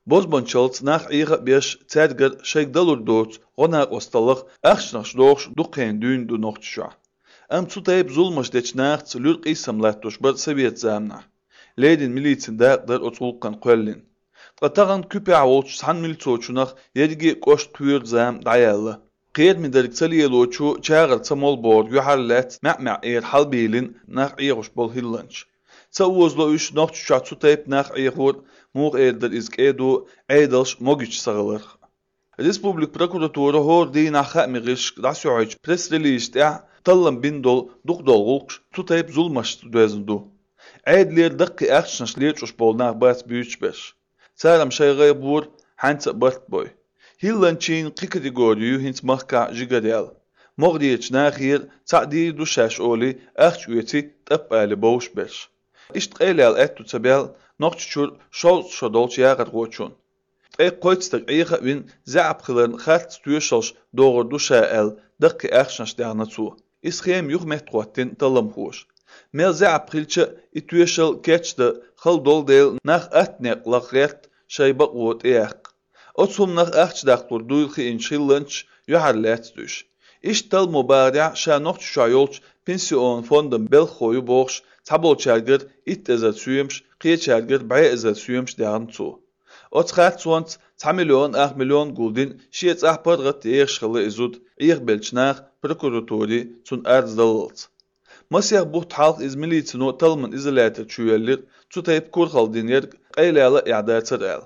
Bozbançalts nach ihre bish zedger sheik dalur dots ona ostalıq axşnaş doğuş duqen dün du noqtşa. Am tutayb zulmaş deçnaxt lür qisamlattuş bir Sovet zamna. Leydin militsin daqdar otulqan qollin. Qatağan küpe avulç san militsoçunaq yedgi qoş tüyür zam dayalı. Qeyr midelik saliyaloçu çağır samol bord yuhallat ma'ma er halbilin nach iğuş bol hillanç. Savuzlo üç noqtşa tutayb nach iğur muğ erdir izqedu aydalş mogiç sağılır. Respublik prokuratura hor din axamiqish dasuic press release ta tallam bin dol duqdolğuq tutayb zulmaş dözindu. Aydler daqi axşnaşliç uş bolnaq bas büyüçbeş. Saram şaygay bur hansa bartboy. Hillançin qi kategoriyu hins mahka jigadel. Mogdiyeç naxir sa'di duşaş oli axç üyeti tapali boşbeş. İşt qaylal ettu tabel noqçur şol şodolç yağır qoçun. Qoytstak ayqa win za'ab qilan xart tuyushals doğru duşaal daqi axşnaş dağnatsu. İsxem yuq mehtqotin talam xoş. Mel za'ab qilça ituyushal keçde xal dol del nax atneq laqret shayba qot eq. Otsum nax axçdaqtur duyulxi inşillanç yuharlat düş. İştal mubari'a şanoq şayolç pensiyon fondun bel xoyu boğş tabol çargır it ezat suyumş qiy çargır bay ezat suyumş dağnatsu. Otsxat swant 2 milyon guldin şiet ahpargat yerşxılı izud belçnaq prokuraturi sun arzdalılç. Masiyaq buht halq izmilitsino talman izolata çüyellir tutayb kurxaldin yer qaylala i'datsar al.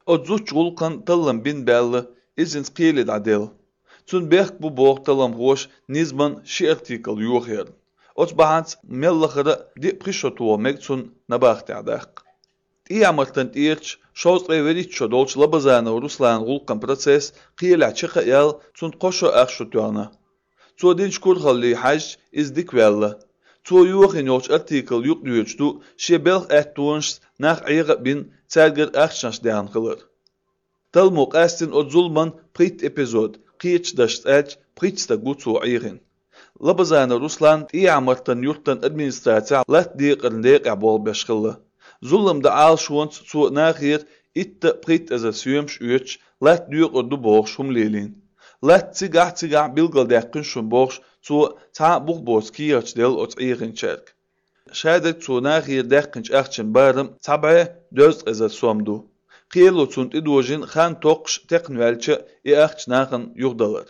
Odzuç gulqan tallan bin belli izins qiyelid adel. Sun beq bu boq talam hoş nizman şi artikal yoq yer. Ots bahans mellaxıra di qishotu mek sun nabaxt adaq. İyamartan irç şoz everiço dolç labazana Ruslan gulqan proces qiyela çıqa yal sun qoşo axşutuna. Ço dinç kurxalli haj izdik vella. Ço yoxin yolç artikal yoq düyçdu şebelx ettunş nach ayqa bin serger axşans deyan qılır. Talmo qastin o zulman prit epizod qiç daşt elç pritsta gutsu ayğin. Labazana Ruslan iyamartan yurttan administrasiya lat diqirndeq abol beşqıllı. Zulumda al şuans zu nachir itte prit as a suyumsh üç lat düq ordu boğ şumlelin. Lat ziga bilgal daqin şum boğ zu ta buq boski yaçdel ot iğin çerk. Şadak zu nachir daqinç axçın barım tabe döz as a somdu. Qiyelo sunt idojin xan toqş teqnvelçe axç naxın yuqdalar.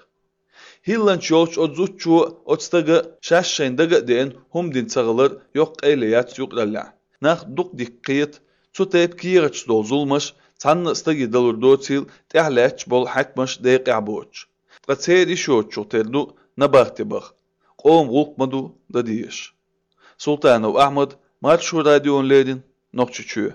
Hillanç yolç odzuçu otstaga şaşşayndaga den humdin çağılır yoq qayleyat yuqdalla. Nach duq diqqiyet tutayb kiyirç dozulmaş tanna stagi dalur dotil t'ahlach bol hakmash deqaboch qatseri shochu terdu nabahtibaq qom gulqmadu dadiyesh Sultanov Ahmad Marshu radyon ledin noqchuchu